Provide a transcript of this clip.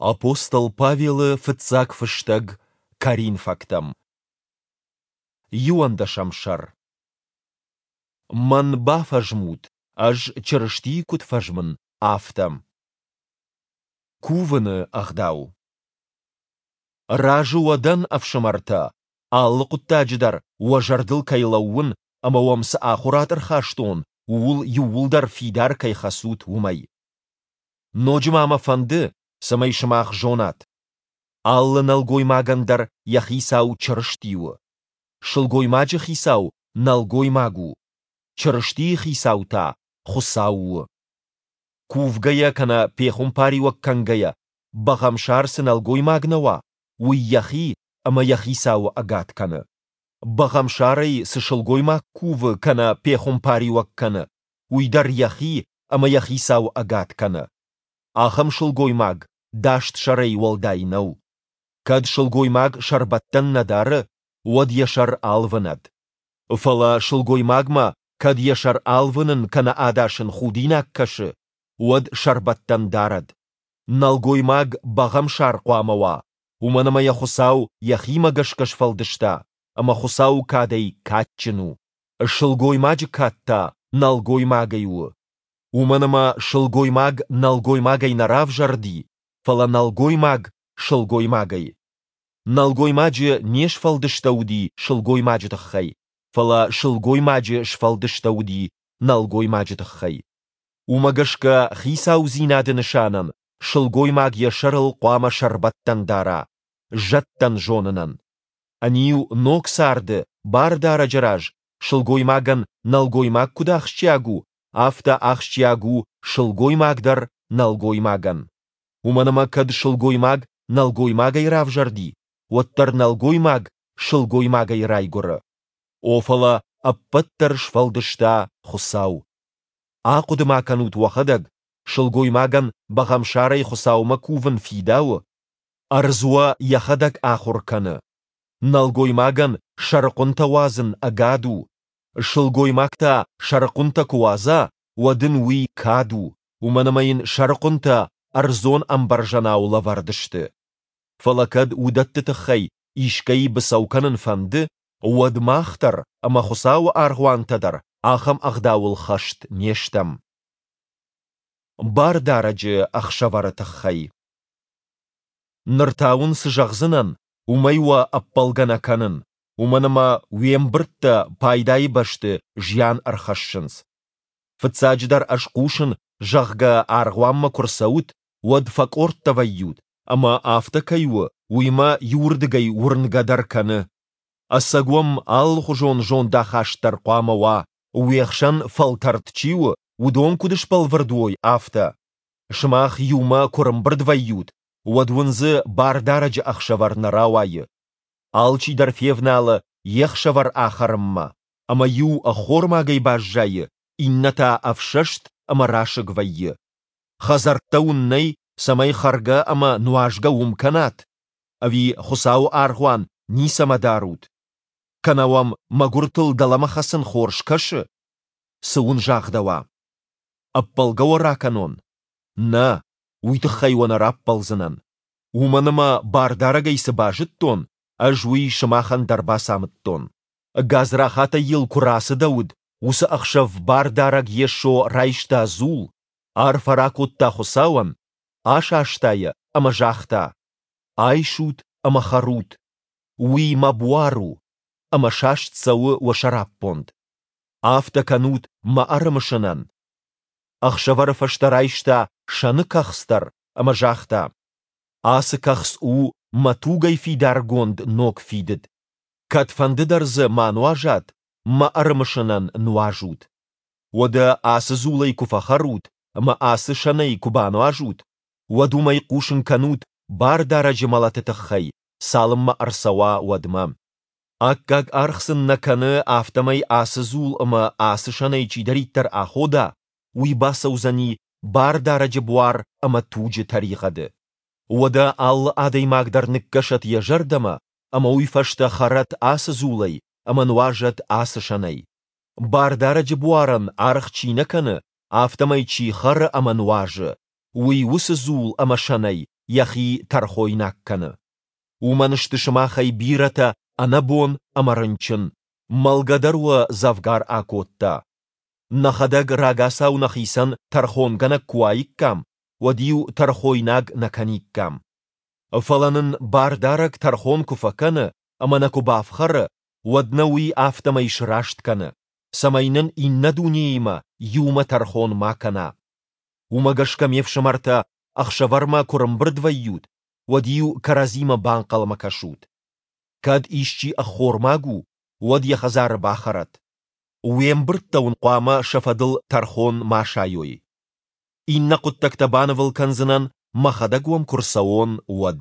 Апостол Павелы фыццаг фыстӕг Коринфӕгтӕм. Иуӕндӕсӕм сӕр. Мӕн бафӕзмут, ӕз Чырыстийы куыд фӕзмын, афтӕ. Кувыны ӕгъдау. Разы уӕ дӕн, ӕфсымӕртӕ, алы хъуыддаджы дӕр уӕ зӕрдыл кӕй лӕууын ӕмӕ уӕм цы ахуырад ӕрхастон, ууыл иууылдӕр фидар кӕй хӕцут, уымӕй. Ноджы ма мӕ фӕнды, цӕмӕй сымах зонат: алы нӕлгоймагӕн дӕр йӕ хицау Чырысти у, сылгоймаджы хицау нӕлгоймаг у, Чырыстийы хицау та Хуыцау у. Кувгӕйӕ кӕнӕ пехуымпариуӕг кӕнгӕйӕ бӕгъӕмсар цы нӕлгоймаг нӕ уа, уый йӕхи ӕмӕ йӕ хицауы ӕгад кӕны. Бӕгъӕмсарӕй цы сылгоймаг кувы кӕнӕ пехуымпариуӕг кӕны, уый дӕр йӕхи ӕмӕ йӕ хицауы ӕгад кӕны. Ахӕм сылгоймаг даст сӕрӕй уӕлдай нӕу. Кӕд сылгоймаг сӕрбӕттӕн нӕ дары, уӕд йӕ сӕр алвынӕд. Фӕлӕ сылгоймагмӕ кӕд йӕ сӕр алвынын кӕнӕ адасын худинаг кӕсы, уӕд сӕрбӕттӕн дарӕд. Нӕлгоймаг бӕгъӕмсар хъуамӕ уа, уымӕн ӕмӕ йӕ Хуыцау йӕхимӕ гӕсгӕ сфӕлдыста, ӕмӕ Хуыцауы кадӕй кадджын у. Сылгоймаджы кад та нӕлгоймагӕй у. Уымӕн ӕмӕ сылгоймаг нӕлгоймагӕй нӕ равзӕрди, фӕлӕ нӕлгоймаг сылгоймагӕй. Нӕлгоймаджы не сфӕлдыстӕуыди сылгоймаджы тыххӕй, фӕлӕ сылгоймаджы сфӕлдыстӕуыди нӕлгоймаджы тыххӕй. Уымӕ гӕсгӕ хицаудзинады нысанӕн сылгоймаг йӕ сӕрыл хъуамӕ сӕрбӕттӕн дара, зӕдтӕн зонынӕн. Ӕниу ног царды Бардарӕджы раз сылгоймагӕн нӕлгоймаг куыд ахсджиаг у, афтӕ ахсджиаг у сылгоймаг дӕр нӕлгоймагӕн. Уымӕн ӕмӕ кӕд сылгоймаг нӕлгоймагӕй равзӕрди, уӕддӕр нӕлгоймаг сылгоймагӕй райгуыры. О, фӕлӕ ӕппӕт дӕр сфӕлдыста Хуыцау. Ахъуыды-ма кӕнут уӕхӕдӕг, сылгоймагӕн бӕгъӕмсарӕй Хуыцаумӕ кувын фидауы? Ӕрдз уӕ йӕхӕдӕг ахуыр кӕны. Нӕлгоймагӕн сӕрыхъуынтӕ уадзын ӕгад у. Сылгоймаг та сӕрыхъуынтӕ куы уадза, уӕд ын уый кад у, уымӕн ӕмӕ йын сӕрыхъуынтӕ ӕрдзон ӕмбӕрзӕнау лӕвӕрд сты. Фӕлӕ кӕд уыдӕтты тыххӕй искӕй быцӕу кӕнын фӕнды, уӕд мах дӕр ӕмӕ Хуыцауы аргъуантӕ дӕр ахӕм ӕгъдауыл хӕст не стӕм. Бардарӕджы ӕхсӕвӕры тыххӕй. Ныр та уын цы зӕгъдзынӕн, уымӕй уӕ ӕппӕлгӕ нӕ кӕнын, уымӕн ӕмӕ уе мбырдтӕ пайдайы бӕсты зиан ӕрхӕссынц. Фыццаджыдӕр ӕз хъусын, зӕгъгӕ, аргъуанмӕ куы рцӕут, уӕд фӕкъордтӕ вӕййут, ӕмӕ афтӕ кӕй у, уый мӕ иуырдыгӕй уырнгӕ дӕр кӕны. Ӕцӕг уӕм алыхуызон зондахаст дӕр хъуамӕ уа, уе хсӕн фӕлтӕрд чи у, уыдон куыд сбӕлвырд уой, афтӕ. Сымах иумӕ куы рымбырд вӕййут, уӕд уын дзы Бардарӕджы ӕхсӕвӕр нӕ рауайы. Алчидӕр февналы йе хсӕвӕр ахӕрынмӕ, ӕмӕ иу ӕххормагӕй баззайы, иннӕ та ӕфсӕст ӕмӕ расыг вӕййы. Хӕдзӕрттӕ уын нӕй, цӕмӕй хӕргӕ ӕмӕ нуазгӕ уым кӕнат? Ӕви Хуыцауы аргъуан ницӕмӕ дарут? Кӕнӕ уӕм мӕгуыртыл дӕлӕмӕ хӕцын хорз кӕсы? Цы уын загъдӕуа? Ӕппӕлгӕ уӕ ракӕнон? Нӕ, уый тыххӕй уӕ нӕ раппӕлдзынӕн. Уымӕн ӕмӕ Бардарӕгӕй цы базыдтон, ӕз уый сымахӕн дӕр бацамыдтон. Гадзрахатӕй йыл куы рацыдӕуыд, уыцы ӕхсӕв Бардарӕг Йесо райста дзул, арфӕ ракодта Хуыцауӕн, асаста йӕ ӕмӕ загъта: «Айсут ӕмӕ хӕрут, уый мӕ буар у, ӕмӕ саст цӕуы уӕ сӕраппонд. Афтӕ кӕнут мӕ ӕрымысынӕн». Ӕхсӕвӕры фӕстӕ райста сӕны кӕхц дӕр ӕмӕ загъта: «Ацы кӕхц у мӕ тугӕй фидаргонд ног фидыд. Кӕдфӕнды дӕр дзы ма нуазат, мӕ ӕрымысынӕн нуазут. Уӕдӕ ацы дзулӕй куы фӕхӕрут ӕмӕ ацы сӕнӕй куы бануазут, уӕд уымӕй хъусын кӕнут Бардарӕджы мӕлӕты тыххӕй, цалынмӕ ӕрцӕуа, уӕдмӕ. Аккаг аргъ сын нӕ кӕны, афтӕмӕй ацы дзул ӕмӕ ацы сӕнӕй чидӕриддӕр ахода, уый бацӕудзӕни Бардарӕджы буар ӕмӕ туджы тӕригъӕды. Уӕдӕ алы адӕймаг дӕр ныккӕсӕд йӕ зӕрдӕмӕ ӕмӕ уый фӕстӕ хӕрӕд ацы дзулӕй ӕмӕ нуазӕд ацы сӕнӕй. Бардарӕджы буарӕн аргъ чи нӕ кӕны, афтӕмӕй чи хӕры ӕмӕ нуазы, уый уыцы дзул ӕмӕ сӕнӕй йӕхи тӕрхойнаг кӕны. Уымӕн сты сымахӕй бирӕтӕ ӕнӕбон ӕмӕ рынчын, мӕлгӕ дӕр уӕ дзӕвгар акодта. Нӕхӕдӕг рагацау нӕхицӕн тӕрхонгӕнӕг куы уаиккам, уӕд-иу тӕрхойнаг нӕ кӕниккам. Фӕлӕ нын Бардарӕг тӕрхон куы фӕкӕны ӕмӕ нӕ куы бафхӕры, уӕд нӕ Уый афтӕмӕй сраст кӕны, цӕмӕй нын иннӕ дунеимӕ иумӕ тӕрхон ма кӕна. Уымӕ гӕсгӕ, ме фсымӕртӕ, ӕхсӕвӕрмӕ куы рымбырд вӕййут, уӕд-иу кӕрӕдзимӕ банхъӕлмӕ кӕсут. Кӕд исчи ӕххормаг у, уӕд йӕ хӕдзары бахӕрӕд. Уе мбырдтӕ уын хъуамӕ сӕ фӕдыл тӕрхон ма сайой. Иннӕ хъуыддӕгтӕ банывыл кӕндзынӕн, мӕхӕдӕг уӕм куы рцӕуон, уӕд.